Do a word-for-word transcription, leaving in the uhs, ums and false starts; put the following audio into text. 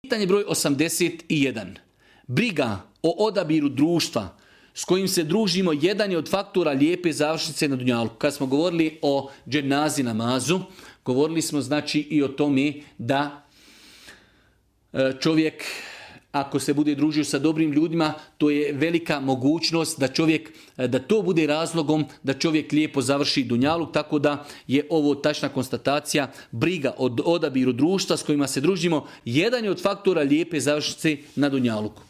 Pitanje broj osamdeset jedan. Briga o odabiru društva s kojim se družimo jedan je od faktora lijepe završnice na dunjalku. Kad smo govorili o dženazi namazu, govorili smo znači i o tome da čovjek, ako se bude družio sa dobrim ljudima, to je velika mogućnost da čovjek, da to bude razlogom da čovjek lijepo završi dunjaluk, tako da je ovo tačna konstatacija. Briga o odabiru društva s kojima se družimo jedan je od faktora lijepe završnice na dunjaluku.